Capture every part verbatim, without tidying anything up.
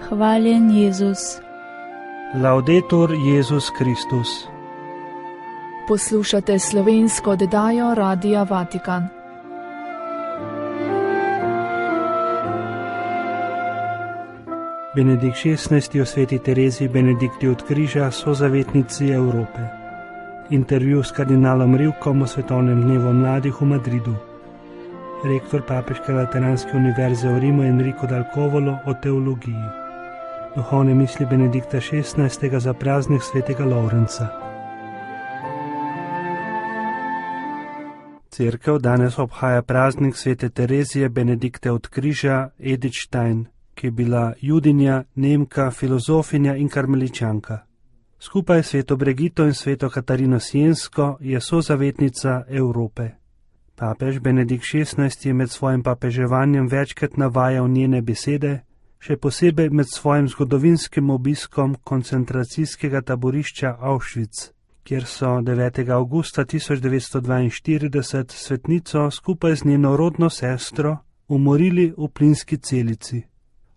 Hvaljen Jezus. Laudetur Jezus Kristus. Poslušate slovensko oddajo Radia Vatikan. Benedikt šestnajsti o sveti Tereziji Benedikti od Križa, sozavetnici Evrope. Intervju s kardinalom Rivkom o svetovnem dnevu mladih v Madridu. Rektor Papeške Lateranske univerze v Rimu Enrico Dal Covolo o teologiji. Duhovne misli Benedikta šestnajstega za praznik svetega Lovrenca. Cerkev danes obhaja praznik svete Terezije Benedikte od Križa Edith Stein, ki je bila judinja, Nemka, filozofinja in karmeličanka. Skupaj s sveto Bregito in sveto Katarino Siensko je sozavetnica Evrope. Papež Benedikt šestnajsti je med svojim papeževanjem večkrat navajal njene besede, še posebej med svojim zgodovinskim obiskom koncentracijskega taborišča Auschwitz, kjer so devetega avgusta tisoč devetsto dvainštirideset svetnico skupaj z njeno rodno sestro umorili v plinski celici.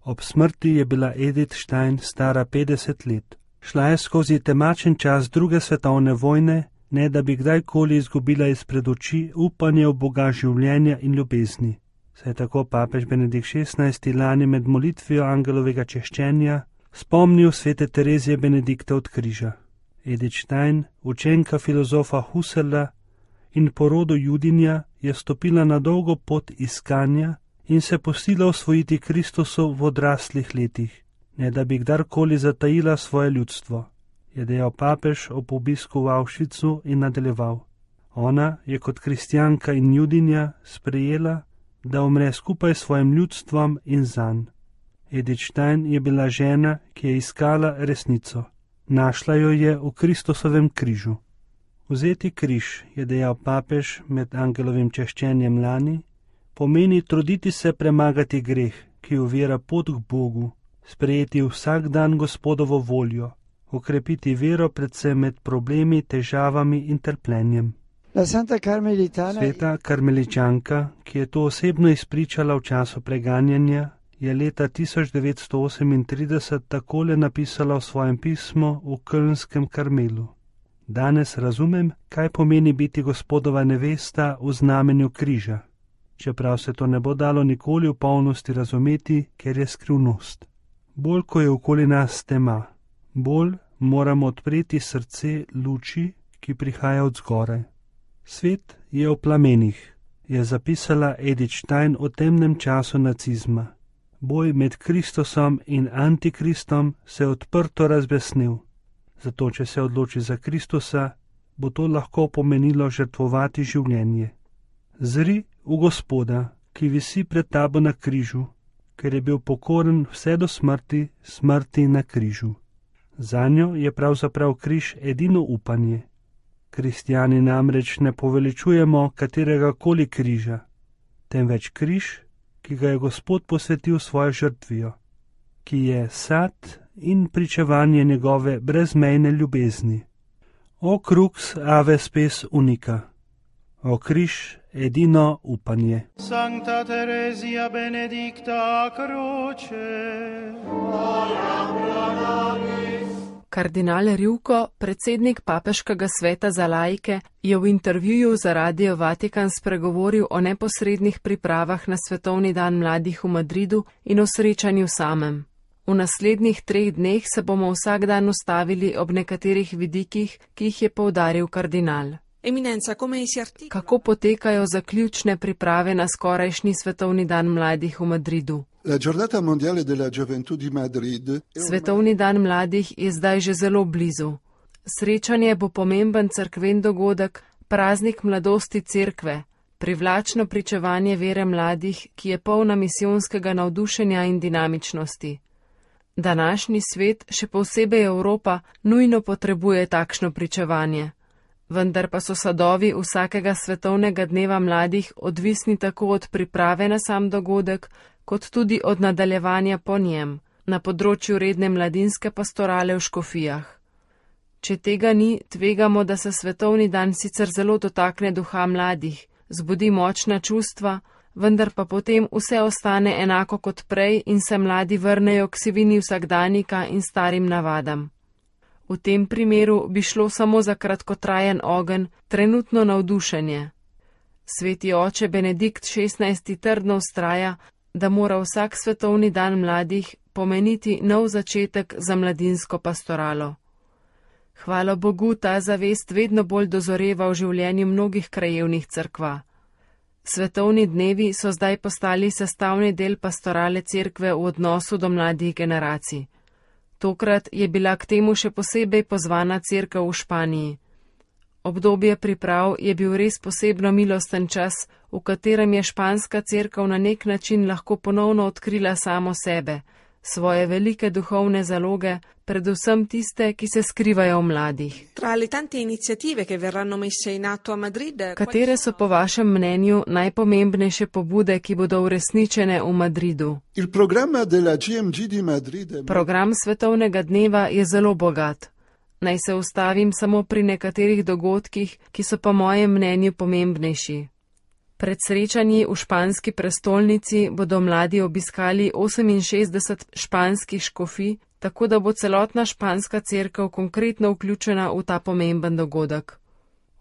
Ob smrti je bila Edith Stein stara petdeset let. Šla je skozi temačen čas druge svetovne vojne, ne da bi kdajkoli izgubila izpred oči upanje v Boga življenja in ljubezni. Saj tako papež Benedikt šestnajsti lani med molitvijo angelovega češčenja spomnil svete Terezije Benedikte od Križa. Edith Stein, učenka filozofa Husserla in po rodu judinja, je stopila na dolgo pot iskanja in se pustila osvojiti Kristusu v odraslih letih, ne da bi kdarkoli zatajila svoje ljudstvo, je dejal papež ob obisku v Auschwitzu in nadaljeval. Ona je kot kristjanka in judinja sprejela, da umre skupaj s svojim ljudstvom in zanj. Edith Stein je bila žena, ki je iskala resnico. Našla jo je v Kristusovem križu. Vzeti križ, je dejal papež med angelovim češčenjem lani, pomeni truditi se premagati greh, ki ovira pot k Bogu, sprejeti vsak dan Gospodovo voljo, okrepiti vero predvsem med problemi, težavami in trpljenjem. Sveta karmeličanka, ki je to osebno izpričala v času preganjanja, je leta tisoč devetsto osemintrideset takole napisala v svojem pismu v Kölnskem Karmelu. Danes razumem, kaj pomeni biti Gospodova nevesta v znamenju križa, čeprav se to ne bo dalo nikoli v polnosti razumeti, ker je skrivnost. Bolj, ko je okoli nas tema, bolj moramo odpreti srce luči, ki prihaja od zgoraj. Svet je v plamenih, je zapisala Edith Stein o temnem času nacizma. Boj med Kristusom in Antikristom se je odprto razbesnil. Zato, če se odloči za Kristusa, bo to lahko pomenilo žrtvovati življenje. Zri v Gospoda, ki visi pred tabo na križu, ker je bil pokoren vse do smrti, smrti na križu. Zanjo je pravzaprav križ edino upanje. Kristjani namreč ne poveličujemo katerega koli križa, temveč križ, ki ga je Gospod posvetil svojo žrtvijo, ki je sad in pričevanje njegove brezmejne ljubezni. O crux ave spes unica, o križ edino upanje. Sancta Terezia Benedicta Croce. Kardinal Rivko, predsednik Papeškega sveta za laike, je v intervjuju za Radio Vatikan spregovoril o neposrednih pripravah na svetovni dan mladih v Madridu in o srečanju samem. V naslednjih treh dneh se bomo vsak dan ustavili ob nekaterih vidikih, ki jih je poudaril kardinal. Eminenza, come si articola? Kako potekajo zaključne priprave na skorajšnji svetovni dan mladih v Madridu? La giornata mondiale della gioventù di Madrid. Svetovni dan mladih je zdaj že zelo blizu. Srečanje bo pomemben cerkven dogodek, praznik mladosti cerkve, privlačno pričevanje vere mladih, ki je polna misijonskega navdušenja in dinamičnosti. Današnji svet, še posebej Evropa, nujno potrebuje takšno pričevanje. Vendar pa so sadovi vsakega svetovnega dneva mladih odvisni tako od priprave na sam dogodek, kot tudi od nadaljevanja po njem, na področju redne mladinske pastorale v škofijah. Če tega ni, tvegamo, da se svetovni dan sicer zelo dotakne duha mladih, zbudi močna čustva, vendar pa potem vse ostane enako kot prej in se mladi vrnejo k sivini vsakdanika in starim navadam. V tem primeru bi šlo samo za kratkotrajen ogenj, trenutno navdušenje. Sveti oče Benedikt šestnajsti trdno vztraja, da mora vsak svetovni dan mladih pomeniti nov začetek za mladinsko pastoralo. Hvala Bogu, ta zavest vedno bolj dozoreva v življenju mnogih krajevnih cerkva. Svetovni dnevi so zdaj postali sestavni del pastorale cerkve v odnosu do mladih generacij. Tokrat je bila k temu še posebej pozvana cerkev v Španiji. Obdobje priprav je bil res posebno milosten čas, v katerem je španska cerkev na nek način lahko ponovno odkrila samo sebe, svoje velike duhovne zaloge, predvsem tiste, ki se skrivajo v mladih. Katere so po vašem mnenju najpomembnejše pobude, ki bodo uresničene v Madridu? Program svetovnega dneva je zelo bogat. Naj se ustavim samo pri nekaterih dogodkih, ki so po mojem mnenju pomembnejši. Pred srečanji v španski prestolnici bodo mladi obiskali oseminšestdeset španskih škofij, tako da bo celotna španska cerkev konkretno vključena v ta pomemben dogodek.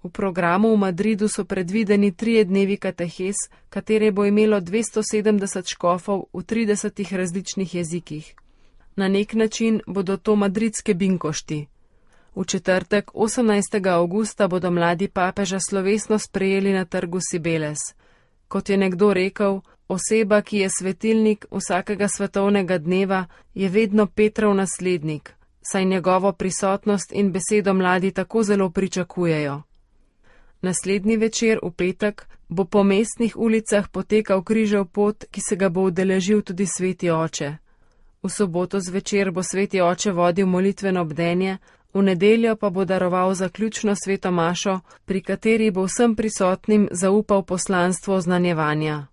V programu v Madridu so predvideni trije dnevi katehes, katere bo imelo dvesto sedemdeset škofov v tridesetih različnih jezikih. Na nek način bodo to madridske binkošti. V četrtek, osemnajstega avgusta, bodo mladi papeža slovesno sprejeli na trgu Cibeles. Kot je nekdo rekel, oseba, ki je svetilnik vsakega svetovnega dneva, je vedno Petrov naslednik, saj njegovo prisotnost in besedo mladi tako zelo pričakujejo. Naslednji večer, v petek, bo po mestnih ulicah potekal križev pot, ki se ga bo udeležil tudi sveti oče. V soboto zvečer bo sveti oče vodil molitveno bdenje, v nedeljo pa bo daroval zaključno sveto mašo, pri kateri bo vsem prisotnim zaupal poslanstvo oznanjevanja.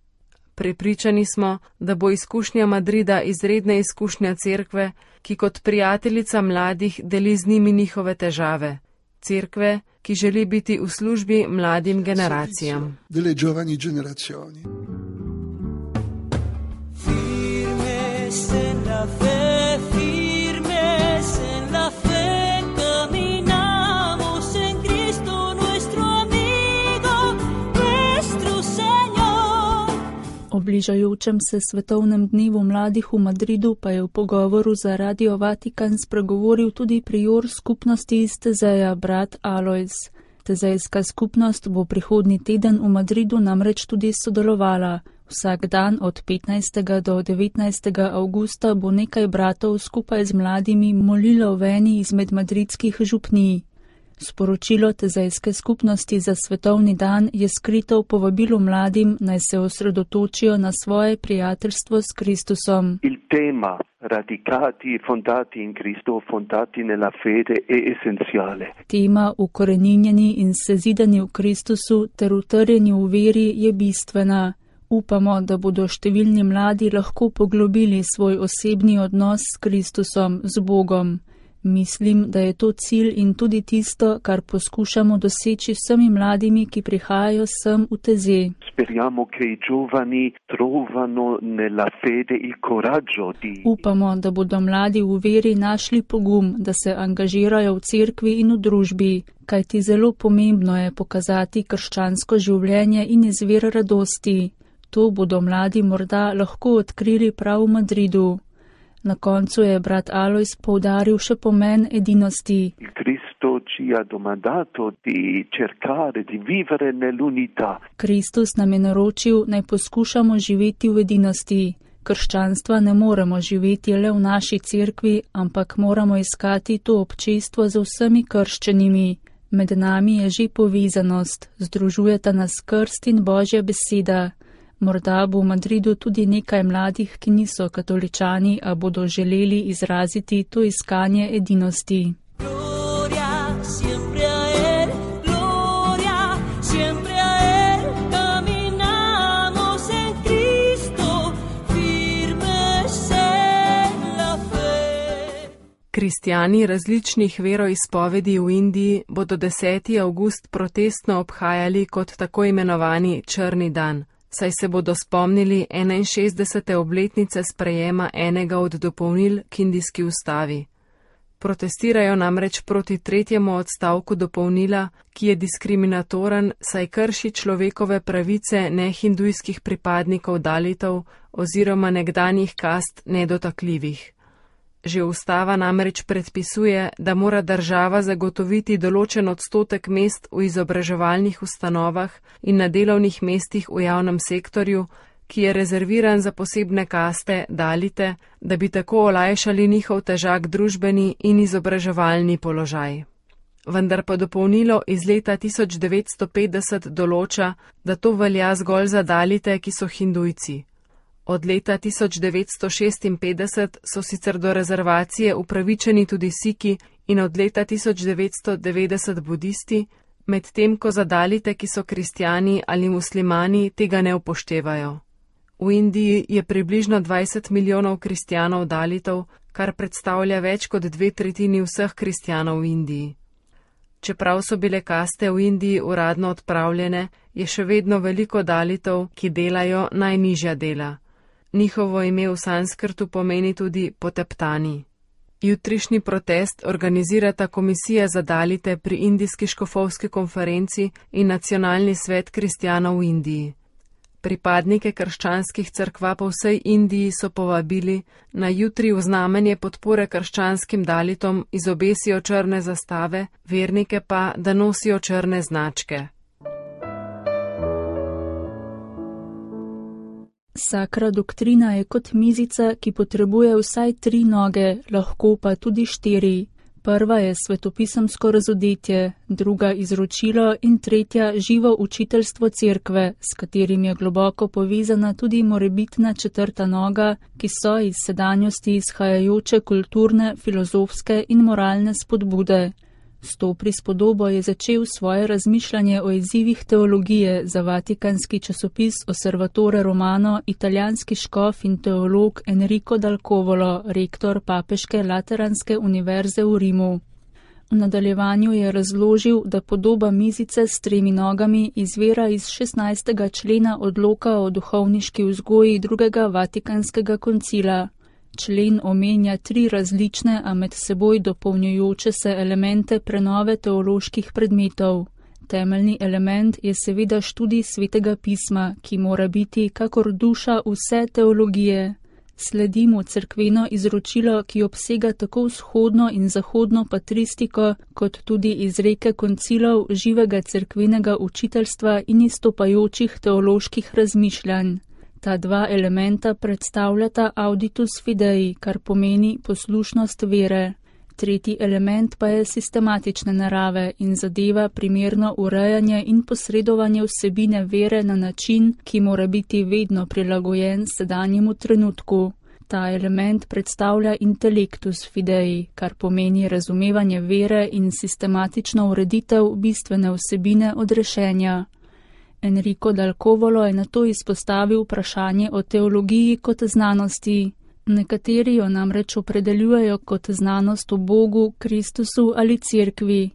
Prepričani smo, da bo izkušnja Madrida izredna izkušnja cerkve, ki kot prijateljica mladih deli z njimi njihove težave. Cerkve, ki želi biti v službi mladim generacijam. O bližajočem se svetovnem dnevu mladih v Madridu pa je v pogovoru za Radio Vatikan spregovoril tudi prior skupnosti iz Tezeja, brat Alojz. Tezejska skupnost bo prihodnji teden v Madridu namreč tudi sodelovala. Vsak dan od petnajstega do devetnajstega avgusta bo nekaj bratov skupaj z mladimi molilo v eni izmed madridskih župnij. Sporočilo Tezejske skupnosti za svetovni dan je skrito v povabilu mladim, naj se osredotočijo na svoje prijateljstvo s Kristusom. Il tema radicati fondati in Cristo fondati nella fede è essenziale. Tema ukoreninjeni in sezidani v Kristusu ter utrjeni v veri je bistvena. Upamo, da bodo številni mladi lahko poglobili svoj osebni odnos s Kristusom, z Bogom. Mislim, da je to cilj in tudi tisto, kar poskušamo doseči vsemi mladimi, ki prihajajo sem v Teze. Speriamo che i giovani trovano nella fede il coraggio di... Upamo, da bodo mladi v veri našli pogum, da se angažirajo v cerkvi in v družbi, kajti zelo pomembno je pokazati krščansko življenje in izvir radosti. To bodo mladi morda lahko odkrili prav v Madridu. Na koncu je brat Alojz poudaril še pomen edinosti. Kristus nam je naročil, naj poskušamo živeti v edinosti. Krščanstva ne moremo živeti le v naši cerkvi, ampak moramo iskati to občestvo z vsemi krščenimi. Med nami je že povezanost, združujeta nas krst in Božja beseda. Morda bo v Madridu tudi nekaj mladih, ki niso katoličani, a bodo želeli izraziti to iskanje edinosti. Kristjani različnih veroizpovedi v Indiji bodo deseti avgust protestno obhajali kot tako imenovani črni dan. saj se bodo spomnili enainšestdesete obletnice sprejema enega od dopolnil k indijski ustavi. Protestirajo namreč proti tretjemu odstavku dopolnila, ki je diskriminatoren, saj krši človekove pravice nehindujskih pripadnikov dalitov oziroma nekdanjih kast nedotakljivih. Že ustava namreč predpisuje, da mora država zagotoviti določen odstotek mest v izobraževalnih ustanovah in na delovnih mestih v javnem sektorju, ki je rezerviran za posebne kaste, dalite, da bi tako olajšali njihov težak družbeni in izobraževalni položaj. Vendar pa dopolnilo iz leta tisoč devetsto petdeset določa, da to velja zgolj za dalite, ki so hindujci. Od leta tisoč devetsto šestinpetdeset so sicer do rezervacije upravičeni tudi Siki in od leta tisoč devetsto devetdeset budisti, medtem ko za dalite, ki so kristjani ali muslimani, tega ne upoštevajo. V Indiji je približno dvajset milijonov kristjanov dalitov, kar predstavlja več kot dve tretjini vseh kristjanov v Indiji. Čeprav so bile kaste v Indiji uradno odpravljene, je še vedno veliko dalitov, ki delajo najnižja dela. Njihovo ime v sanskrtu pomeni tudi poteptani. Jutrišnji protest organizirata Komisija za dalite pri Indijski škofovski konferenci in Nacionalni svet kristjanov v Indiji. Pripadnike krščanskih cerkva po vsej Indiji so povabili, na jutri v znamenje podpore krščanskim dalitom izobesijo črne zastave, vernike pa, da nosijo črne značke. Sakra doktrina je kot mizica, ki potrebuje vsaj tri noge, lahko pa tudi štiri. Prva je svetopisemsko razodetje, druga izročilo in tretja živo učiteljstvo cerkve, s katerim je globoko povezana tudi morebitna četrta noga, ki so iz sedanjosti izhajajoče kulturne, filozofske in moralne spodbude. S to prispodobo je začel svoje razmišljanje o izzivih teologije za vatikanski časopis Osservatore Romano italijanski škof in teolog Enrico Dal Covolo, rektor Papeške Lateranske univerze v Rimu. V nadaljevanju je razložil, da podoba mizice s tremi nogami izvira iz šestnajstega člena odloka o duhovniški vzgoji drugega vatikanskega koncila. Člen omenja tri različne, a med seboj dopolnjujoče se elemente prenove teoloških predmetov. Temeljni element je seveda študij svetega pisma, ki mora biti kakor duša vse teologije. Sledi mu cerkveno izročilo, ki obsega tako vzhodno in zahodno patristiko, kot tudi izreke koncilov živega cerkvenega učiteljstva in izstopajočih teoloških razmišljanj. Ta dva elementa predstavljata auditus fidei, kar pomeni poslušnost vere. Tretji element pa je sistematične narave in zadeva primerno urejanje in posredovanje vsebine vere na način, ki mora biti vedno prilagojen sedanjemu trenutku. Ta element predstavlja intellectus fidei, kar pomeni razumevanje vere in sistematično ureditev bistvene vsebine odrešenja. Enrico Dal Covolo je nato izpostavil vprašanje o teologiji kot znanosti. Nekateri jo namreč opredeljujejo kot znanost o Bogu, Kristusu ali cerkvi.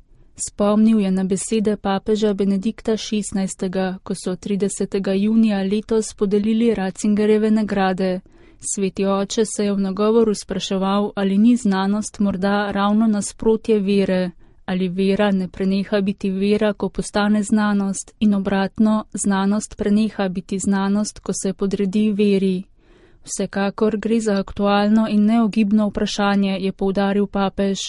Spomnil je na besede papeža Benedikta šestnajstega, ko so tridesetega junija letos podelili Ratzingerjeve nagrade. Sveti oče se je v nagovoru spraševal, ali ni znanost morda ravno nasprotje vere. Ali vera ne preneha biti vera, ko postane znanost, in obratno, znanost preneha biti znanost, ko se podredi veri. Vsekakor gre za aktualno in neogibno vprašanje, je poudaril papež.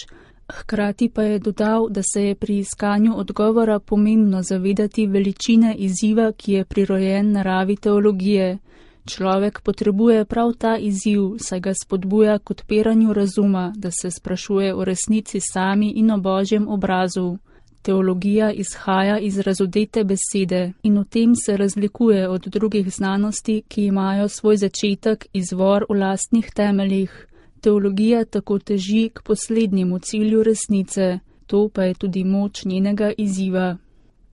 Hkrati pa je dodal, da se je pri iskanju odgovora pomembno zavedati veličine izziva, ki je prirojen naravi teologije. Človek potrebuje prav ta izziv, saj ga spodbuja k odpiranju razuma, da se sprašuje o resnici sami in o Božjem obrazu. Teologija izhaja iz razodete besede in v tem se razlikuje od drugih znanosti, ki imajo svoj začetek, izvor v lastnih temeljih. Teologija tako teži k poslednjemu cilju resnice, to pa je tudi moč njenega izziva.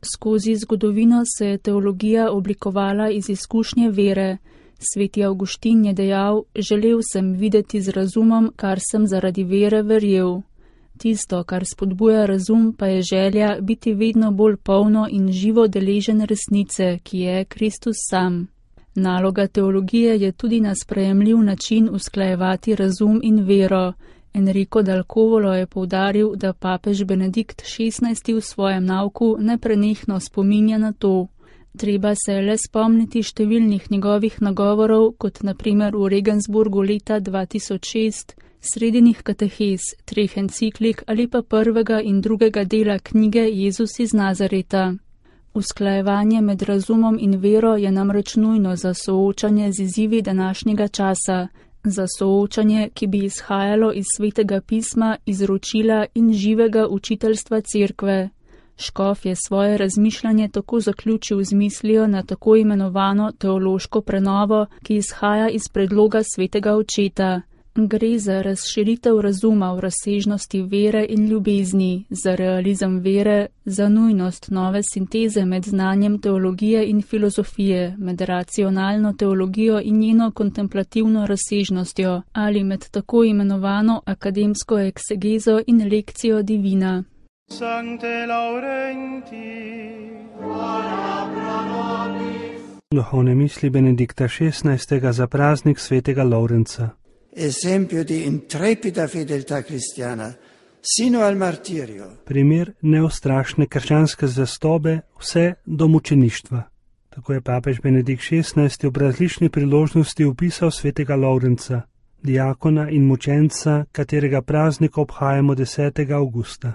Skozi zgodovino se je teologija oblikovala iz izkušnje vere. Sveti Avguštin je dejal, želel sem videti z razumom, kar sem zaradi vere verjel. Tisto, kar spodbuja razum, pa je želja biti vedno bolj polno in živo deležen resnice, ki je Kristus sam. Naloga teologije je tudi na sprejemljiv način usklajevati razum in vero. Enrico dal Covolo je poudaril, da papež Benedikt šestnajsti v svojem nauku neprenehno spominja na to. Treba se je le spomniti številnih njegovih nagovorov, kot naprimer v Regensburgu leta dva tisoč šest, sredinih katehez, treh enciklik ali pa prvega in drugega dela knjige Jezus iz Nazareta. Usklajevanje med razumom in vero je namreč nujno za soočanje z izzivi današnjega časa, za soočanje, ki bi izhajalo iz Svetega pisma, izročila in živega učiteljstva cerkve. Škof je svoje razmišljanje tako zaključil z mislijo na tako imenovano teološko prenovo, ki izhaja iz predloga Svetega očeta. Gre za razširitev razuma v razsežnosti vere in ljubezni, za realizem vere, za nujnost nove sinteze med znanjem teologije in filozofije, med racionalno teologijo in njeno kontemplativno razsežnostjo, ali med tako imenovano akademsko eksegezo in lekcijo divina. Sancte Laurenti, ora pro nobis. Duhovne misli Benedikta šestnajstega za praznik svetega Laurenca. Esempio di intrepida fedeltà cristiana, sino al martirio. Primer neustrašne krščanske zvestobe vse do mučeništva. Tako je papež Benedikt šestnajsti ob različni priložnosti opisal svetega Laurenca, diakona in mučenca, katerega praznik obhajamo desetega avgusta.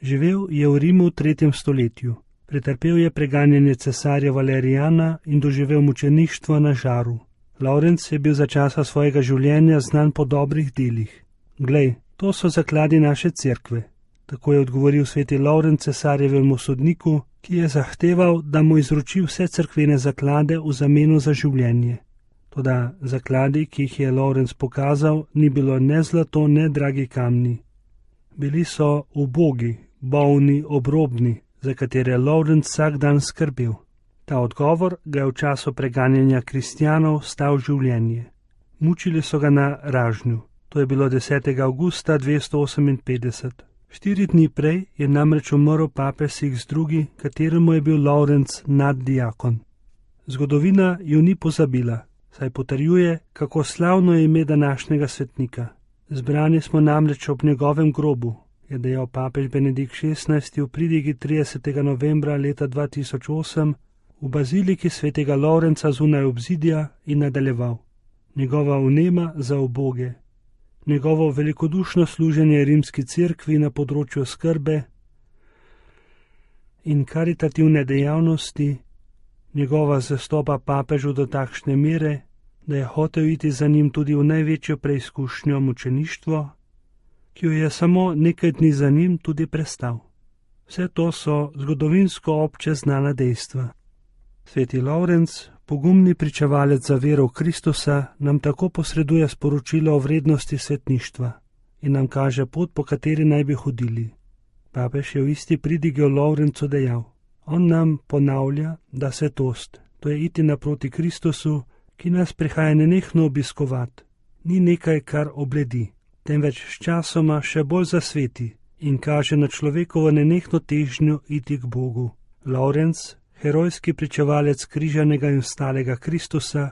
Živel je v Rimu v tretjem stoletju. Pretrpel je preganjanje cesarja Valerijana in doživel mučeništvo na žaru. Laurenc je bil za časa svojega življenja znan po dobrih delih. Glej, to so zakladi naše cerkve. Tako je odgovoril sveti Laurenc cesarjevemu sodniku, ki je zahteval, da mu izroči vse cerkvene zaklade v zameno za življenje. Toda zakladi, ki jih je Laurenc pokazal, ni bilo ne zlato, ne dragi kamni. Bili so ubogi, bolni, obrobni, za katere Laurenc vsak dan skrbel. Ta odgovor ga je v času preganjanja kristjanov stal življenje. Mučili so ga na Ražnju. To je bilo desetega avgusta dvesto oseminpetdeset. Štiri dni prej je namreč umrl papež Sixtus drugi, kateremu je bil Laurenc naddiakon. Zgodovina ju ni pozabila, saj potrjuje, kako slavno je ime današnjega svetnika. Zbrani smo namreč ob njegovem grobu, je dejal papež Benedikt šestnajsti v pridigi tridesetega novembra leta dva tisoč osem v baziliki svetega Laurenca zunaj obzidja in nadaljeval. Njegova vnema za uboge, njegovo velikodušno služenje rimski cerkvi na področju skrbe in karitativne dejavnosti, njegova zvestoba papežu do takšne mere, da je hotel iti za njim tudi v največjo preizkušnjo mučeništvo, ki jo je samo nekaj dni za njim tudi prestal. Vse to so zgodovinsko obče znana dejstva. Sveti Laurenc, pogumni pričevalec za vero v Kristusa, nam tako posreduje sporočilo o vrednosti svetništva in nam kaže pot, po kateri naj bi hodili. Papež je v isti pridigi o Laurencu dejal: on nam ponavlja, da svetost, to je iti naproti Kristusu, ki nas prihaja nenehno obiskovat, ni nekaj, kar obledi, temveč s časoma še bolj zasveti in kaže na človekovo nenehno težnjo iti k Bogu. Laurenc, herojski pričevalec križanega in vstalega Kristusa,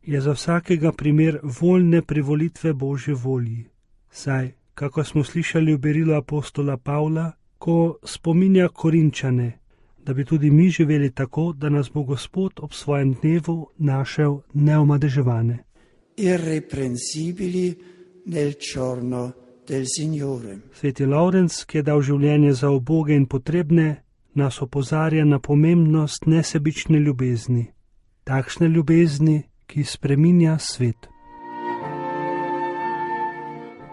je za vsakega primer voljne privolitve Božje volji. Saj, kako smo slišali v berilu apostola Pavla, ko spominja Korinčane, da bi tudi mi živeli tako, da nas bo Gospod ob svojem dnevu našel neomadeževane. Irreprensibili nel giorno del Signore. Sveti Laurenc, ki je dal življenje za uboge in potrebne, nas opozarja na pomembnost nesebične ljubezni, takšne ljubezni, ki spreminja svet.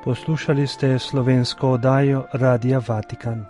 Poslušali ste slovensko oddajo Radia Vatikan.